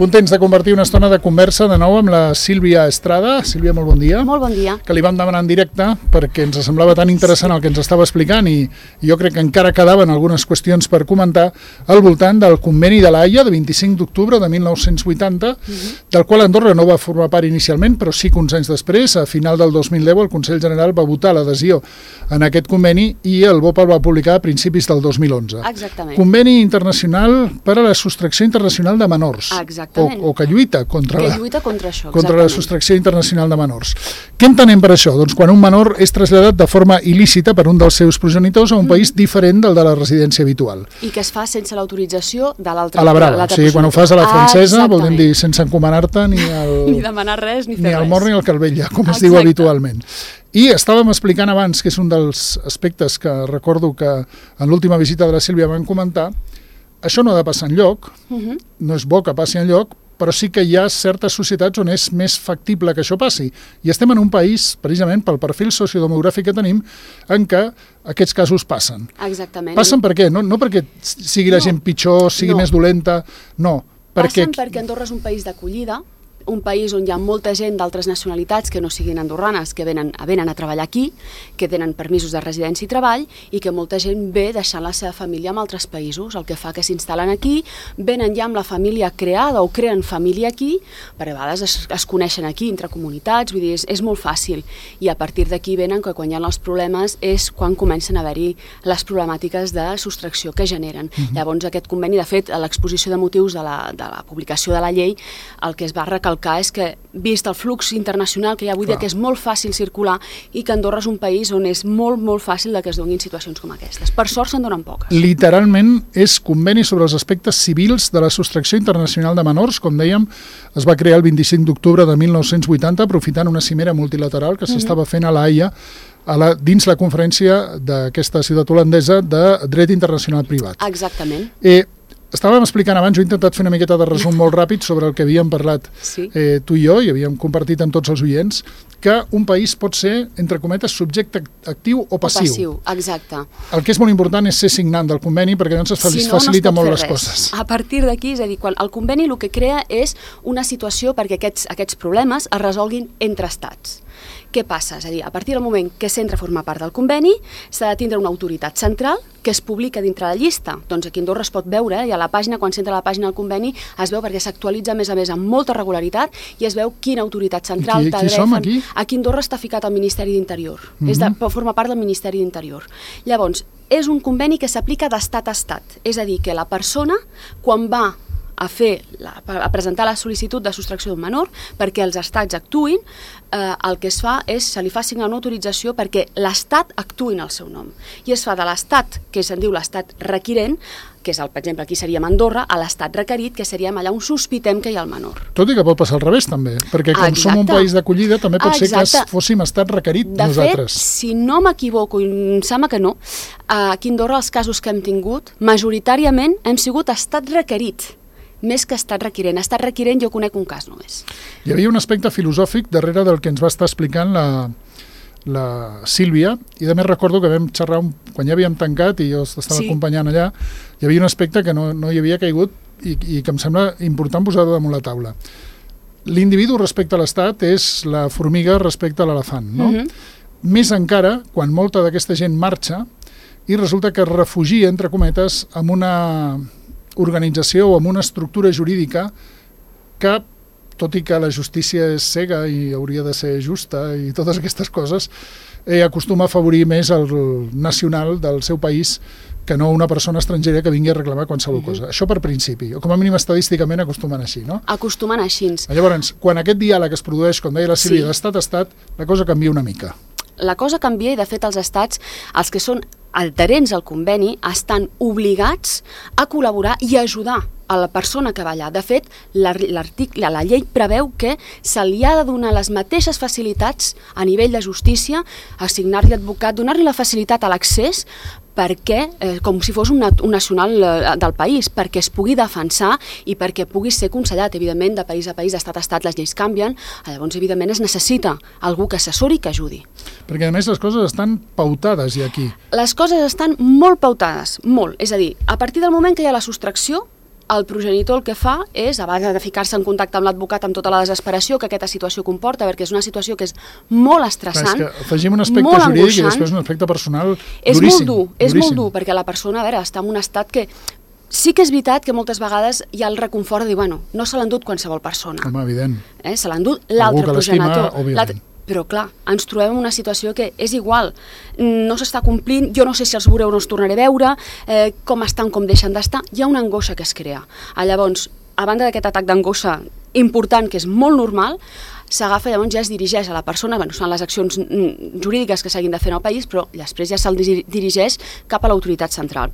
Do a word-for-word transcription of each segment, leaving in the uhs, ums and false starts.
Contents de convertir una estona de conversa de nou amb la Sílvia Estrada. Sílvia, molt bon dia. Molt bon dia. Que li vam demanar en directe perquè ens semblava tan interessant el que ens estava explicant i jo crec que encara quedaven algunes qüestions per comentar al voltant del conveni de l'Haia de vint-i-cinc d'octubre de mil nou-cents vuitanta, uh-huh. del qual Andorra no va formar part inicialment, però sí que uns anys després, a final del dos mil deu, el Consell General va votar l'adhesió en aquest conveni i el B O P el va publicar a principis del dos mil onze. Exactament. Conveni internacional per a la sostracció internacional de menors. Exactament. O, o que lluita contra, que la, lluita contra això, contra la sostracció internacional de menors. Què entenem per això? Doncs quan un menor és traslladat de forma il·lícita per un dels seus progenitors a un mm. país diferent del de la residència habitual. I que es fa sense l'autorització de l'altre. A la brava, o sigui, quan ho fas a la francesa, ah, voldrem dir sense encomanar-te ni, el, ni demanar res, ni fer ni res. el mort ni el calvella, com es Exacte. diu habitualment. I estàvem explicant abans, que és un dels aspectes que recordo que en l'última visita de la Sílvia van comentar, això no ha de passar enlloc, uh-huh. no és bo que passi enlloc, però sí que hi ha certes societats on és més factible que això passi. I estem en un país, precisament pel perfil sociodemogràfic que tenim, en què aquests casos passen. Exactament. Passen per què? No, no perquè sigui la no. gent pitjor, sigui no. més dolenta, no. Perquè... Passen perquè Andorra és un país d'acollida, un país on hi ha molta gent d'altres nacionalitats que no siguin andorranes, que venen, venen a treballar aquí, que tenen permisos de residència i treball i que molta gent ve deixant la seva família en altres països, el que fa que s'instal·len aquí, venen ja amb la família creada o creen família aquí, perquè a vegades es, es coneixen aquí entre comunitats, vull dir, és, és molt fàcil i a partir d'aquí venen que quan hi ha els problemes és quan comencen a haver-hi les problemàtiques de sostracció que generen. Mm-hmm. Llavors aquest conveni, de fet, a l'exposició de motius de la, de la publicació de la llei, el que es va recalcar és que, vist el flux internacional que hi ha avui dia, que és molt fàcil circular i que Andorra és un país on és molt, molt fàcil que es donin situacions com aquestes. Per sort se'n donen poques. Literalment és conveni sobre els aspectes civils de la sostracció internacional de menors, com dèiem, es va crear el vint-i-cinc d'octubre de mil nou-cents vuitanta, aprofitant una cimera multilateral que s'estava fent a l'Haia, a la, dins la conferència d'aquesta ciutat holandesa de dret internacional privat. Exactament. Eh, Estàvem explicant abans, jo he intentat fer una miqueta de resum molt ràpid sobre el que havíem parlat sí. eh, tu i jo, i havíem compartit amb tots els oients, que un país pot ser, entre cometes, subjecte actiu o passiu. O passiu, exacte. El que és molt important és ser signant del conveni, perquè llavors es si no, facilita no molt les res. coses. A partir d'aquí, és a dir, quan el conveni el que crea és una situació perquè aquests, aquests problemes es resolguin entre estats. Què passa? És a dir, a partir del moment que s'entra a formar part del conveni, s'ha de tindre una autoritat central que es publica dintre la llista. Doncs aquí a Andorra es pot veure, i a la pàgina, quan s'entra a la pàgina del conveni, es veu perquè s'actualitza a més a més amb molta regularitat i es veu quina autoritat central... Qui, qui som aquí? Aquí a Andorra està ficat al Ministeri d'Interior. Mm-hmm. És de, forma part del Ministeri d'Interior. Llavors, és un conveni que s'aplica d'estat a estat. És a dir, que la persona, quan va a fer la, a presentar la sol·licitud de sostracció d'un menor perquè els estats actuïn, eh, el que es fa és, se li fa signar una autorització perquè l'estat actuï en el seu nom. I es fa de l'estat, que se'n diu l'estat requirent, que és, el, per exemple, aquí seríem Andorra, a l'estat requerit, que seríem allà on sospitem que hi ha el menor. Tot i que pot passar al revés, també, perquè com Exacte. som un país d'acollida, també pot Exacte. ser que fóssim estat requerit de nosaltres. De fet, si no m'equivoco, i em sembla que no, aquí a Andorra els casos que hem tingut, majoritàriament hem sigut estat requerit, més que estat requirent. Estat requirent jo conec un cas només. Hi havia un aspecte filosòfic darrere del que ens va estar explicant la, la Sílvia, i a més recordo que vam xerrar un, quan ja havíem tancat i jo estava sí. acompanyant allà, hi havia un aspecte que no, no hi havia caigut i, i que em sembla important posar damunt la taula. L'individu respecte a l'estat és la formiga respecte a l'elefant, no? Mm-hmm. Més encara quan molta d'aquesta gent marxa i resulta que es refugia, entre cometes, amb una organització o amb una estructura jurídica que, tot i que la justícia és cega i hauria de ser justa i totes aquestes coses, eh, acostuma a afavorir més el nacional del seu país que no una persona estrangera que vingui a reclamar qualsevol cosa. Això per principi, o com a mínim estadísticament acostumen així, no? Acostumen així. Llavors, quan aquest diàleg es produeix, com deia la Sílvia, sí. d'estat a estat, la cosa canvia una mica. La cosa canvia i, de fet, els estats, els que són adherents al conveni, estan obligats a col·laborar i a ajudar a la persona que va allà. De fet, l'article, la llei preveu que se li ha de donar les mateixes facilitats a nivell de justícia, assignar-li advocat, donar-li la facilitat a l'accés perquè, eh, com si fos un, un nacional eh, del país, perquè es pugui defensar i perquè pugui ser aconsellat. Evidentment, de país a país, d'estat a estat, les lleis canvien, llavors, evidentment, es necessita algú que assessori i que ajudi. Perquè, a més, les coses estan pautades ja aquí. Les coses estan molt pautades, molt. És a dir, a partir del moment que hi ha la sostracció, el progenitor el que fa és, a base de ficar-se en contacte amb l'advocat amb tota la desesperació que aquesta situació comporta, perquè és una situació que és molt estressant, clar, és que afegim un aspecte jurídic angoixant, i després un aspecte personal és duríssim. Molt dur, és duríssim. molt dur, perquè la persona, a veure, està en un estat que sí que és veritat que moltes vegades hi ha el reconfort de dir, bueno, no se l'ha endut qualsevol persona. Home, evident. Eh? Se l'ha endut l'altre progenitor. Òbviament. Però clar, ens trobem en una situació que és igual, no s'està complint, jo no sé si els veuré o no els tornaré a veure, eh, com estan, com deixen d'estar, hi ha una angoixa que es crea. Ah, llavors, a banda d'aquest atac d'angoixa important, que és molt normal, s'agafa, llavors ja es dirigeix a la persona, bueno, són les accions jurídiques que s'hagin de fer en el país, però després ja se'l dirigeix cap a l'autoritat central.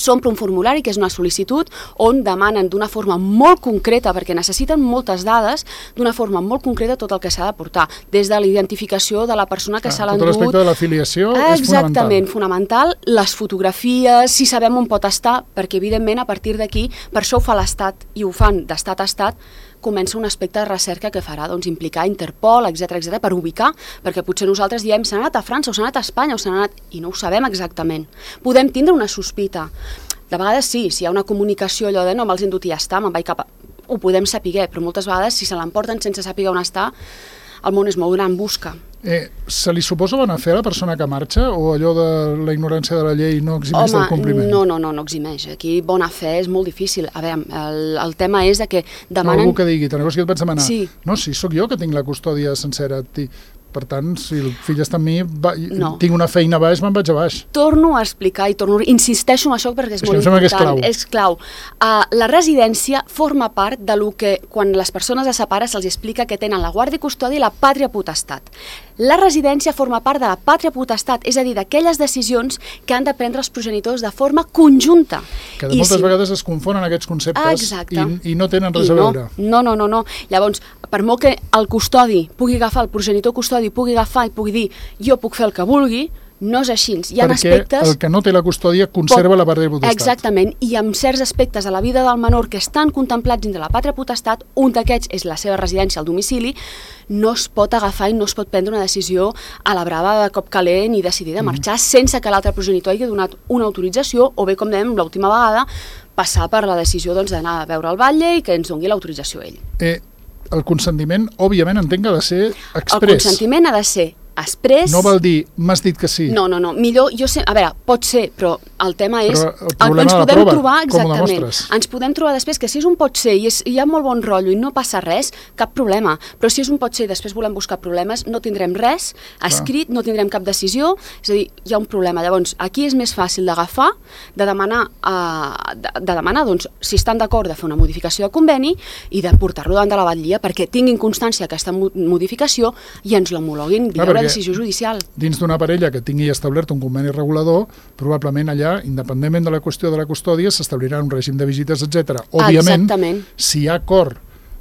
S'omple un formulari, que és una sol·licitud, on demanen d'una forma molt concreta, perquè necessiten moltes dades, d'una forma molt concreta tot el que s'ha de portar, des de la identificació de la persona que s'ha l'endut. Tot l'aspecte de l'afiliació és fonamental. Exactament, fonamental, les fotografies, si sabem on pot estar, perquè evidentment a partir d'aquí, per això ho fa l'Estat i ho fan d'estat a estat, comença un aspecte de recerca que farà doncs, implicar Interpol, etcètera, etcètera, per ubicar, perquè potser nosaltres diem s'han anat a França o s'han anat a Espanya o s'han anat... i no ho sabem exactament. Podem tindre una sospita. De vegades sí, si hi ha una comunicació allò de no me'ls he endut i ja està, me'n vaig cap a... ho podem saber, però moltes vegades si se l'emporten sense saber on està, el món és molt gran, busca. Eh, se li suposa bona fe a la persona que marxa o allò de la ignorància de la llei no eximeix Home, del compliment? no, no, no, no eximeix. Aquí bona fe és molt difícil. A veure, el, el tema és de que demanen... No, algú que digui, te'n recordes que et vaig demanar? Sí. No, sí, sóc jo que tinc la custòdia sencera. Per tant, si el fill està amb mi, va, no. tinc una feina a baix, me'n vaig a baix. Torno a explicar i torno, insisteixo en això perquè és, és molt important. És clau. És clau. Uh, la residència forma part de lo que, quan les persones es separen, se'ls explica que tenen la guàrdia i custòdia i la pàtria potestat. La residència forma part de la pàtria potestat, és a dir, d'aquelles decisions que han de prendre els progenitors de forma conjunta. Que de moltes I si... vegades es confonen aquests conceptes i, i no tenen res I a veure. No, no, no, no. Llavors, per molt que el custodi pugui agafar, el progenitor custodi pugui agafar i pugui dir jo puc fer el que vulgui, no és així. Hi ha Perquè aspectes... el que no té la custòdia conserva pot... la pàtria potestat. Exactament, i amb certs aspectes de la vida del menor que estan contemplats dins de la pàtria potestat, un d'aquests és la seva residència al domicili, no es pot agafar i no es pot prendre una decisió a la brava de cop calent i decidir de marxar mm. sense que l'altre progenitor hagi donat una autorització o bé, com dèiem l'última vegada, passar per la decisió doncs, d'anar a veure el batlle i que ens doni l'autorització ell. Eh, el consentiment, òbviament, entenc que ha de ser express. El consentiment ha de ser express... No vol dir, m'has dit que sí. No, no, no, millor, jo sé, a veure, pot ser, però el tema és... Però el problema ens de la podem prova, trobar, com ho exactament, demostres? ens podem trobar després que si és un pot ser i, és, i hi ha molt bon rotllo i no passa res, cap problema, però si és un pot ser i després volem buscar problemes, no tindrem res escrit, no tindrem cap decisió, és a dir, hi ha un problema. Llavors, aquí és més fàcil d'agafar, de demanar, uh, de, de demanar doncs, si estan d'acord de fer una modificació de conveni i de portar-lo davant de la batllia perquè tinguin constància d'aquesta modificació i ens l'homologuin via la decisió judicial. Dins d'una parella que tingui establert un conveni regulador, probablement allà, independentment de la qüestió de la custòdia, s'establirà un règim de visites, etcètera. Òbviament, Exactament. si hi ha acord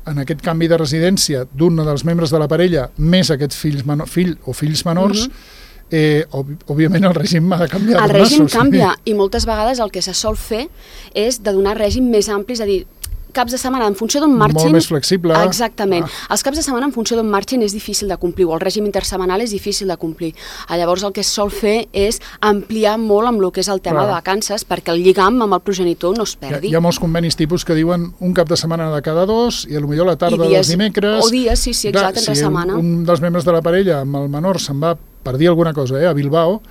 en aquest canvi de residència d'un dels membres de la parella més aquests fills menor, fill o fills menors, mm-hmm. eh, òbviament el règim ha de canviar. El règim canvia i moltes vegades el que se sol fer és de donar règim més ampli, és a dir, caps de setmana en funció d'on marxin... Molt més flexible. Exactament. Ah. Els caps de setmana en funció d'on marxin és difícil de complir, o el règim intersetmanal és difícil de complir. Llavors el que es sol fer és ampliar molt amb el que és el tema Clar. de vacances perquè el lligam amb el progenitor no es perdi. Hi ha, hi ha molts convenis tipus que diuen un cap de setmana de cada dos i potser la tarda dies, dels dimecres... O dies, sí, sí, exacte, entre si setmana. Un, un dels membres de la parella amb el menor se'n va per dir alguna cosa eh, a Bilbao,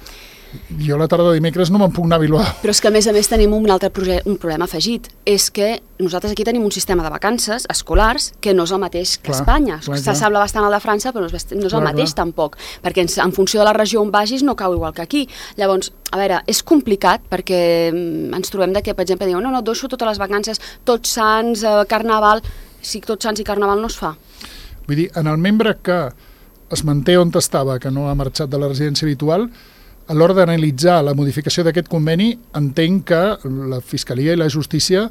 jo la tarda de dimecres no me'n puc anar a Bilbao. Però és que a més a més tenim un altre un problema afegit, és que nosaltres aquí tenim un sistema de vacances escolars que no és el mateix que clar, Espanya. S'assembla clar. bastant al de França, però no és, no és clar, el mateix clar. tampoc, perquè en, en funció de la regió on vagis no cau igual que aquí. Llavors, a veure, és complicat perquè ens trobem de que, per exemple, diuen no, no, deixo totes les vacances, tots sants, eh, carnaval, si tots sants i carnaval no es fa. Vull dir, en el membre que es manté on estava, que no ha marxat de la residència habitual, a l'hora d'analitzar la modificació d'aquest conveni, entenc que la Fiscalia i la Justícia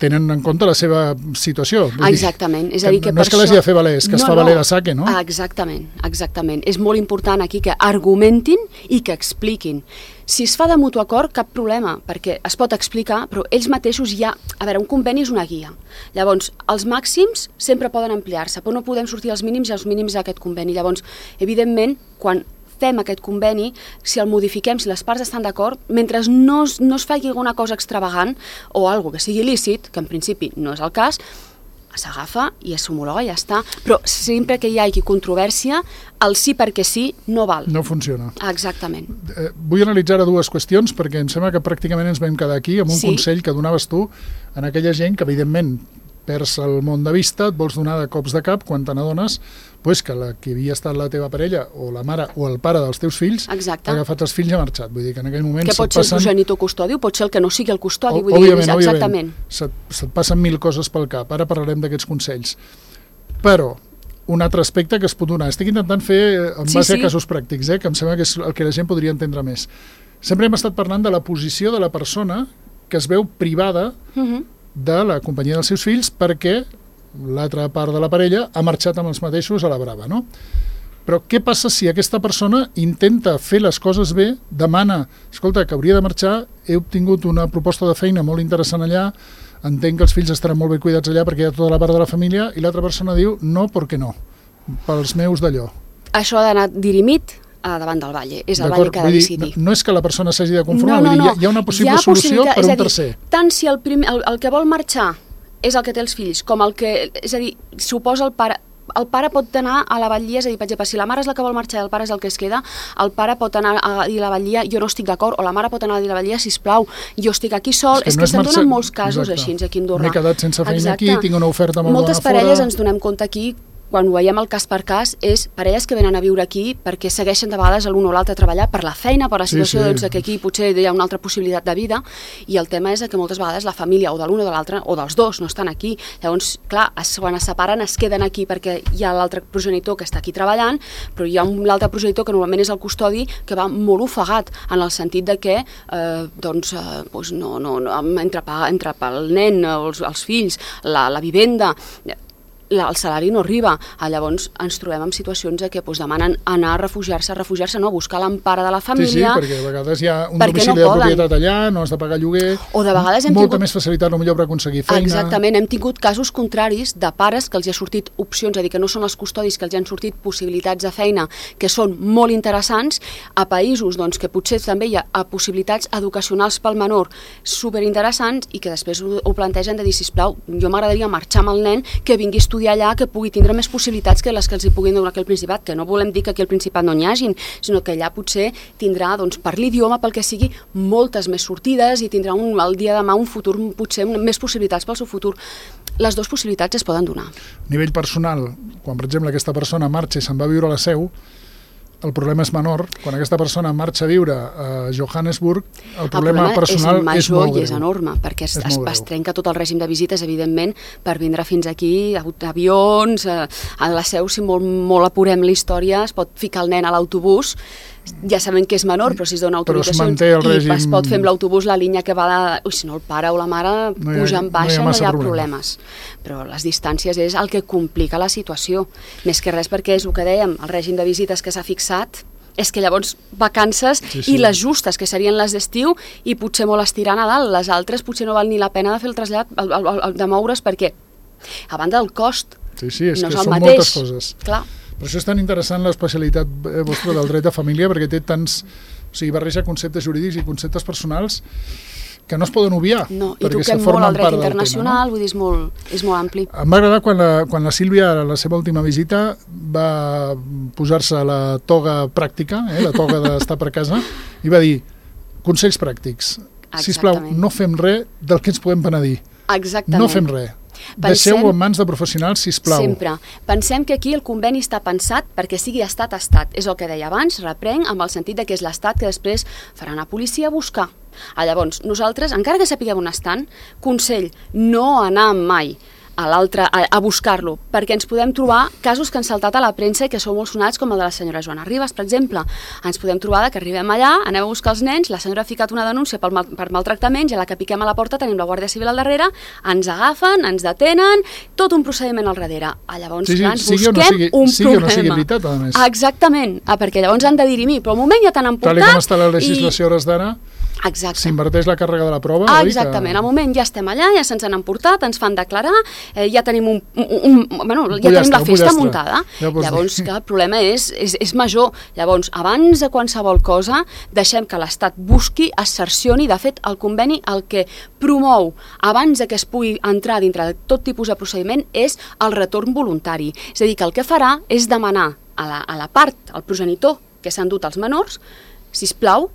tenen en compte la seva situació. Vull exactament. Dir, és a dir, que no és que l'hagi de fer valer, és que no, es fa no. valer de saque, no? Exactament, exactament. És molt important aquí que argumentin i que expliquin. Si es fa de mutu acord, cap problema, perquè es pot explicar, però ells mateixos ja... A veure, un conveni és una guia. Llavors, els màxims sempre poden ampliar-se, però no podem sortir als mínims i als mínims d'aquest conveni. Llavors, evidentment, quan fem aquest conveni, si el modifiquem, si les parts estan d'acord, mentre no es, no es faci alguna cosa extravagant o algo que sigui lícit, que en principi no és el cas, s'agafa i s'homologa i ja està. Però sempre que hi hagi controvèrsia, el sí perquè sí no val. No funciona. Exactament. Eh, vull analitzar ara dues qüestions, perquè em sembla que pràcticament ens vam quedar aquí amb un sí. consell que donaves tu en aquella gent que, evidentment, perds el món de vista, et vols donar de cops de cap quan te n'adones pues, que la que havia estat la teva parella o la mare o el pare dels teus fills Exacte. ha agafat els fills i ha marxat. Vull dir que en aquell moment que pot ser passen... el progenitor custodi o pot ser el que no sigui el custodi. O, vull òbviament, dir, exactament. Se't, se't passen mil coses pel cap. Ara parlarem d'aquests consells. Però un altre aspecte que es pot donar. Estic intentant fer en base sí, sí. a casos pràctics, eh, que em sembla que és el que la gent podria entendre més. Sempre hem estat parlant de la posició de la persona que es veu privada uh-huh. de la companyia dels seus fills perquè l'altra part de la parella ha marxat amb els mateixos a la brava, no? Però què passa si aquesta persona intenta fer les coses bé, demana, escolta, que hauria de marxar, he obtingut una proposta de feina molt interessant allà, entenc que els fills estaran molt ben cuidats allà perquè hi ha tota la part de la família, i l'altra persona diu, no, perquè no, pels meus d'allò. Això ha d'anar dirimit a davant del Valle, és el Valle que ha de decidir. No, no és que la persona s'hagi de conformar, no, no, no. Vull dir, hi ha una possible ha solució per un dir, tercer. Tant si el, primer, el, el que vol marxar és el que té els fills, com el que, és a dir, suposa el pare, el pare pot anar a la batllia, és a dir, per exemple, si la mare és la que vol marxar i el pare és el que es queda, el pare pot anar a dir a la batllia, jo no estic d'acord, o la mare pot anar a dir a la batllia, sisplau, jo estic aquí sol, és que, és que no se'n marxa... donen molts casos Exacte. Així, aquí a Andorra. M'he quedat sense feina Exacte. Aquí, tinc una oferta molt Moltes bona parelles fora. Ens donem compte aquí, quan ho veiem el cas per cas, és parelles que venen a viure aquí perquè segueixen de vegades l'un o l'altre a treballar per la feina, per la situació, sí, sí. Doncs, que aquí potser hi ha una altra possibilitat de vida, i el tema és que moltes vegades la família o de l'un o de l'altre, o dels dos, no estan aquí. Llavors, clar, es, quan es separen es queden aquí perquè hi ha l'altre progenitor que està aquí treballant, però hi ha l'altre progenitor que normalment és el custodi, que va molt ofegat, en el sentit de que eh, doncs, eh, doncs no, no, no, entre, entre pel nen, els, els fills, la, la vivenda... La, el salari no arriba, ah, llavors ens trobem en situacions de que doncs, demanen anar a refugiar-se, a refugiar-se, no, a buscar l'empara de la família... Sí, sí, perquè a vegades hi ha un domicili no de propietat allà, no has de pagar lloguer, o de vegades hem molta tingut... més facilitat millor per aconseguir feina... Exactament, hem tingut casos contraris de pares que els hi ha sortit opcions, és a dir, que no són els custodis, que els hi han sortit possibilitats de feina que són molt interessants, a països doncs, que potser també hi ha possibilitats educacionals pel menor superinteressants i que després ho, ho plantegen de dir, sisplau, jo m'agradaria marxar amb el nen, que vingui a estudiar allà, que pugui tindre més possibilitats que les que els hi puguin donar aquí al Principat, que no volem dir que aquí al Principat no n'hi hagin, sinó que allà potser tindrà, doncs, per l'idioma, pel que sigui, moltes més sortides i tindrà un, el dia de demà un futur, potser més possibilitats pel seu futur. Les dues possibilitats es poden donar. A nivell personal, quan per exemple aquesta persona marxa i se'n va a viure a la Seu, el problema és menor. Quan aquesta persona marxa a viure a Johannesburg, el problema, el problema personal és, major, és molt greu. I és enorme, perquè es, es, es trenca tot el règim de visites, evidentment, per vindre fins aquí, avions, a la Seu, si molt, molt apurem la història, es pot ficar el nen a l'autobús, ja sabem que és menor, però si es dona autoritzacions es règim... i es pot fer amb l'autobús la línia que va de... Ui, si no el pare o la mare no ha, puja en baixa, no hi ha, no hi ha problemes. Però les distàncies és el que complica la situació. Més que res perquè és el que dèiem, el règim de visites que s'ha fixat és que llavors vacances sí, sí. i les justes, que serien les d'estiu, i potser molt estirar a Nadal, les altres potser no val ni la pena de fer el trasllat, el, el, el, de moure's, perquè a banda del cost sí, sí, és no que és el són mateix. Moltes coses. Clar. Per això és tan interessant l'especialitat vostra del dret de família, perquè té tants... O sigui, barreja conceptes jurídics i conceptes personals que no es poden obviar. No, i toquem molt el dret internacional, tema, no? Vull dir, és molt, és molt ampli. Em va agradar quan la, quan la Sílvia, a la seva última visita, va posar-se la toga pràctica, eh, la toga d'estar per casa, i va dir, consells pràctics. Exactament. Sisplau, no fem res del que ens podem penedir. Exactament. No fem res. Deixeu-ho en mans de professionals, sisplau. Sempre. Pensem que aquí el conveni està pensat perquè sigui estat a estat. És el que deia abans, reprenc, amb el sentit de que és l'estat que després farà anar a policia a buscar. Ah, llavors, nosaltres, encara que sapiguem on estan, consell, no anar mai a l'altre a, a buscar-lo, perquè ens podem trobar casos que han saltat a la premsa i que són molt sonats, com el de la senyora Joana Ribas, per exemple. Ens podem trobar que arribem allà, anem a buscar els nens, la senyora ha ficat una denúncia per, mal, per maltractaments, i a la que piquem a la porta tenim la Guàrdia Civil al darrere, ens agafen, ens detenen, tot un procediment al darrere. Ah, llavors, sí, sí, clar, ens sigui busquem no sigui, un sigui problema. O no sigui veritat, a més. Exactament, ah, perquè llavors han de dirimir, però al moment ja t'han emportat... Tal com està la legislació i... hores d'ara, Exacte. s'inverteix la càrrega de la prova. Ah, exactament, que... al moment ja estem allà, ja se'ns han emportat, ens fan declarar, eh, ja tenim, un, un, un, bueno, un ja tenim la festa pollastre. muntada. Ja Llavors, que el problema és, és, és major. Llavors, abans de qualsevol cosa, deixem que l'Estat busqui, es cercioni. De fet, el conveni el que promou, abans de que es pugui entrar dintre de tot tipus de procediment, és el retorn voluntari. És a dir, que el que farà és demanar a la, a la part, al progenitor que s'han dut els menors, sisplau,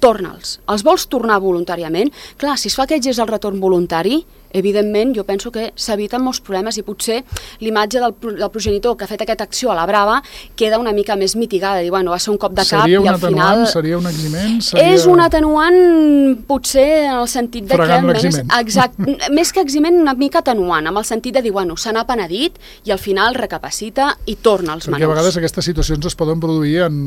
torna'ls. Els vols tornar voluntàriament? Clar, si es fa aquest gest del retorn voluntari, evidentment jo penso que s'eviten molts problemes i potser l'imatge del, del progenitor que ha fet aquesta acció a la brava queda una mica més mitigada, dir, bueno, va ser un cop de cap seria i al final... Seria un eximent? Seria... És un atenuant potser en el sentit de Fregant que... l'eximent. Exacte, més que eximent, una mica atenuant, amb el sentit de dir, bueno, se n'ha penedit i al final recapacita i torna als Perquè menors. a vegades aquestes situacions es poden produir en...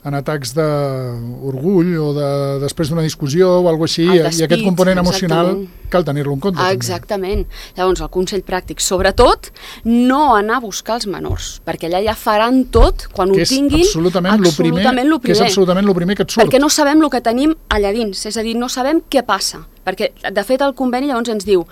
en atacs d'orgull o de, després d'una discussió o alguna cosa així, El despit, i aquest component emocional exactament. cal tenir-lo en compte. Exactament. També. Llavors, el consell pràctic, sobretot, no anar a buscar els menors, perquè allà ja faran tot quan que ho tinguin. És absolutament, absolutament lo primer, que és absolutament el primer que et surt. Perquè no sabem el que tenim allà dins, és a dir, no sabem què passa. Perquè, de fet, el conveni llavors ens diu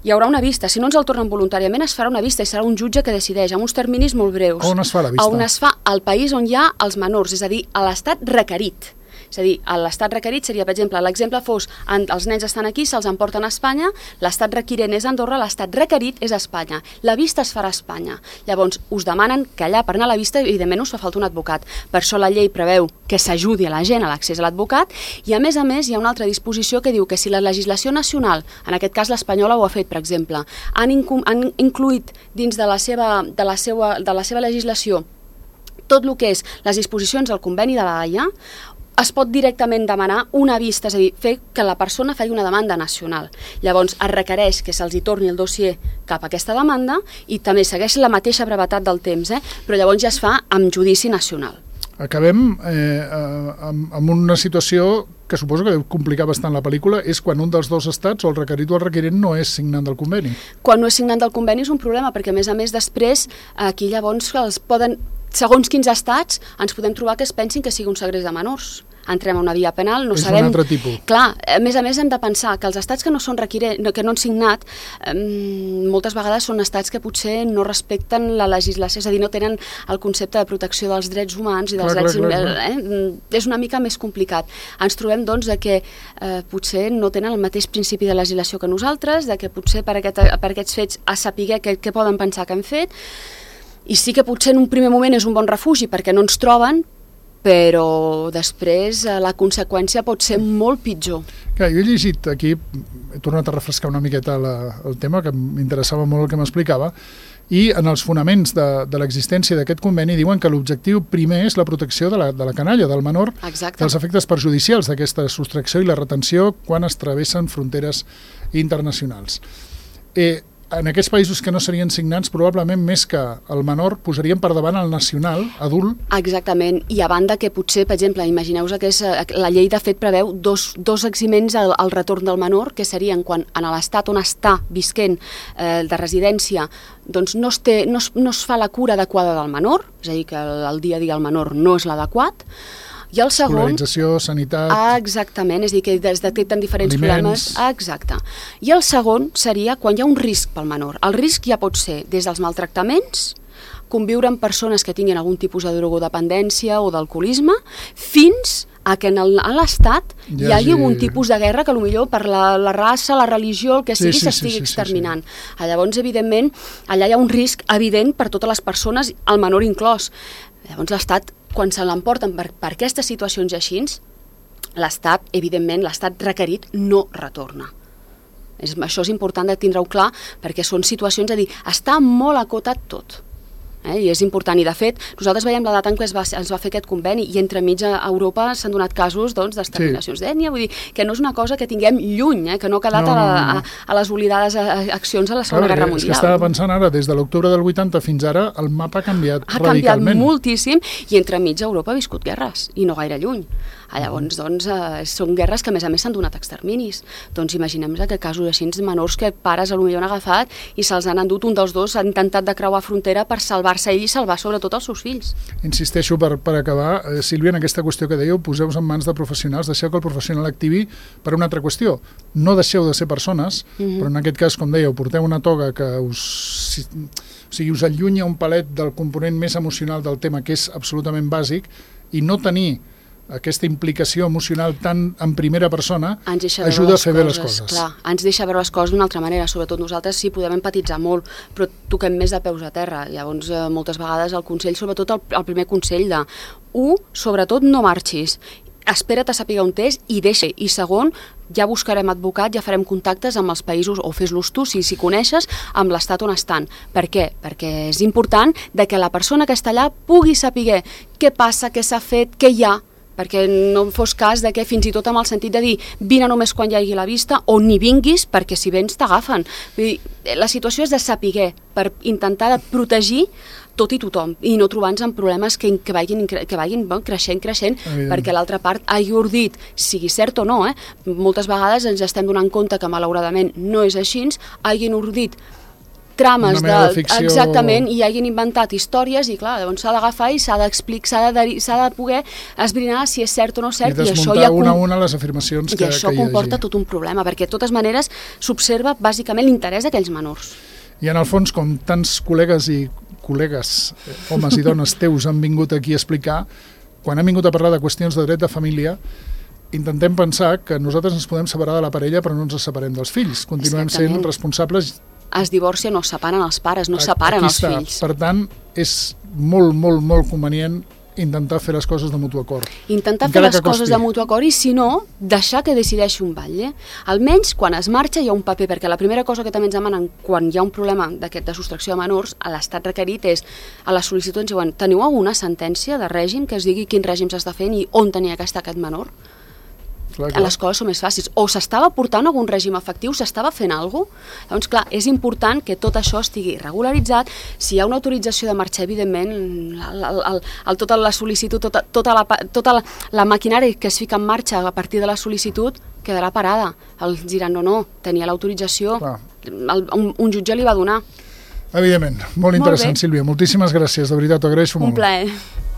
hi haurà una vista, si no ens el tornen voluntàriament es farà una vista i serà un jutge que decideix amb uns terminis molt breus. On es fa la vista? On es fa al país on hi ha els menors, és a dir, a l'estat requerit. És a dir, l'estat requerit seria, per exemple, l'exemple fos, en, els nens estan aquí, se'ls emporten a Espanya, l'estat requirent és Andorra, l'estat requerit és Espanya. La vista es farà a Espanya. Llavors, us demanen que allà per anar a la vista, evidentment, us fa falta un advocat. Per això la llei preveu que s'ajudi a la gent a l'accés a l'advocat i, a més a més, hi ha una altra disposició que diu que si la legislació nacional, en aquest cas l'espanyola ho ha fet, per exemple, han, incu han incluït dins de la seva, de la seva, de la seva legislació tot el que és les disposicions del conveni de la Haia, es pot directament demanar una vista, és a dir, fer que la persona faci una demanda nacional. Llavors, es requereix que se'ls hi torni el dossier cap a aquesta demanda i també segueix la mateixa brevetat del temps, eh? Però llavors ja es fa amb judici nacional. Acabem eh, amb, amb una situació que suposo que deu complicar bastant la pel·lícula, és quan un dels dos estats, o el requerit o el requerent, no és signant del conveni. Quan no és signant del conveni és un problema, perquè a més a més després aquí llavors els poden, segons quins estats, ens podem trobar que es pensin que sigui un segrest de menors. Entrem a una via penal, no és sabem... És un altre tipus. Clar, a més a més hem de pensar que els estats que no són requirent, que no han signat, eh, moltes vegades són estats que potser no respecten la legislació, és a dir, no tenen el concepte de protecció dels drets humans i dels clar, drets... clar, clar, clar. Eh? És una mica més complicat. Ens trobem, doncs, de que eh, potser no tenen el mateix principi de legislació que nosaltres, de que potser per, aquest, per aquests fets a saber què, què poden pensar que han fet, i sí que potser en un primer moment és un bon refugi perquè no ens troben, però després la conseqüència pot ser molt pitjor. Clar, jo he llegit aquí, he tornat a refrescar una miqueta la, el tema, que m'interessava molt el que m'explicava, i en els fonaments de, de l'existència d'aquest conveni diuen que l'objectiu primer és la protecció de la, de la canalla, del menor, Exacte. dels efectes perjudicials d'aquesta sostracció i la retenció quan es travessen fronteres internacionals. Eh, en aquests països que no serien signants, probablement més que el menor posarien per davant el nacional, adult. Exactament, i a banda que potser, per exemple, imagineu-vos que és, la llei de fet preveu dos, dos eximents al, al retorn del menor, que serien quan en l'estat on està visquent eh, de residència doncs no es, té, no, es, no es fa la cura adequada del menor, és a dir, que el, el dia a dia el menor no és l'adequat, i el segon... Escolarització, sanitat... Ah, exactament, és a dir, que es detecten diferents aliments. problemes. Ah, exacte. I el segon seria quan hi ha un risc pel menor. El risc ja pot ser des dels maltractaments, conviure amb persones que tinguin algun tipus de drogodependència o d'alcoholisme, fins a que en l'Estat hi hagi algun tipus de guerra que potser per la, la raça, la religió, el que sigui, s'estigui sí, sí, sí, exterminant. Sí, sí. Llavors, evidentment, allà hi ha un risc evident per totes les persones, el menor inclòs. Llavors, l'Estat, quan se l'emporten per, per aquestes situacions així, l'Estat, evidentment, l'Estat requerit no retorna. És, això és important de tindre-ho clar, perquè són situacions, a dir, està molt acotat tot. Eh? I és important, i de fet nosaltres veiem la data en què es va, es va fer aquest conveni i entremig a Europa s'han donat casos doncs, d'exterminacions sí. d'ètnia, vull dir que no és una cosa que tinguem lluny, eh? Que no ha quedat no, no, no. A, a, a les oblidades accions a la Segona Guerra Mundial. És que estava pensant ara, des de l'octubre del vuitanta fins ara el mapa ha canviat ha radicalment. Ha canviat moltíssim i entremig Europa ha viscut guerres i no gaire lluny. Llavors, doncs, eh, són guerres que a més a més s'han donat exterminis. Doncs imaginem que casos així menors que pares potser han agafat i se'ls han endut, un dels dos ha intentat de creuar frontera per salvar-se ell i salvar sobretot els seus fills. Insisteixo per, per acabar, eh, Sílvia, en aquesta qüestió que dèieu, poseu-vos en mans de professionals, deixeu que el professional activi per una altra qüestió. No deixeu de ser persones, mm-hmm. però en aquest cas, com dèieu, porteu una toga que us, si, o sigui, us allunya un palet del component més emocional del tema, que és absolutament bàsic, i no tenir aquesta implicació emocional tan en primera persona ajuda a fer bé les coses. Clar, ens deixa veure les coses d'una altra manera, sobretot nosaltres sí podem empatitzar molt, però toquem més de peus a terra. Llavors, eh, moltes vegades el consell, sobretot el, el primer consell de u, sobretot no marxis, espera't a saber on és i deixa. I segon, ja buscarem advocat, ja farem contactes amb els països, o fes-los tu, si si coneixes, amb l'estat on estan. Per què? Perquè és important de que la persona que està allà pugui saber què passa, què s'ha fet, què hi ha, perquè no fos cas de que fins i tot amb el sentit de dir vine només quan hi hagi la vista o ni vinguis perquè si vens t'agafen. La situació és de saber per intentar de protegir tot i tothom i no trobar-nos en problemes que, que vagin, que vagin bon, creixent, creixent, Evident. Perquè l'altra part hagi ordit, sigui cert o no, eh? Moltes vegades ens estem donant compte que malauradament no és així, hagin ordit trames de, de ficció... exactament, i hagin inventat històries i clar, llavors s'ha d'agafar i s'ha d'explicar, s'ha de, s'ha de poder esbrinar si és cert o no cert i, i això ja una a una les afirmacions que, i això que hi comporta hagi. Tot un problema, perquè de totes maneres s'observa bàsicament l'interès d'aquells menors. I en el fons, com tants col·legues i col·legues, homes i dones teus han vingut aquí a explicar, quan han vingut a parlar de qüestions de dret de família, intentem pensar que nosaltres ens podem separar de la parella però no ens separem dels fills, continuem Exactament. Sent responsables. Es divorcien o separen els pares, no separen els fills. Per tant, és molt, molt, molt convenient intentar fer les coses de mutu acord. Intentar fer les coses de mutu acord i, si no, deixar que decideixi un batlle. Almenys, quan es marxa, hi ha un paper, perquè la primera cosa que també ens demanen quan hi ha un problema d'aquest de sostracció de menors, a l'estat requerit és, a la sol·licitud ens diuen, teniu alguna sentència de règim que es digui quin règim s'està fent i on tenia que estar aquest menor? Clar, clar. Les coses són més fàcils. O s'estava portant algun règim efectiu, s'estava fent alguna cosa. Llavors, clar, és important que tot això estigui regularitzat. Si hi ha una autorització de marxar, evidentment, el, el, el, el, tota la sol·licitud, tota, tota, la, tota la, la maquinària que es fica en marxa a partir de la sol·licitud quedarà parada. Els diran, no, no, tenia l'autorització, un, un jutge li va donar. Evidentment, molt interessant, molt Sílvia. Moltíssimes gràcies, de veritat, t'ho agraeixo molt. Un plaer.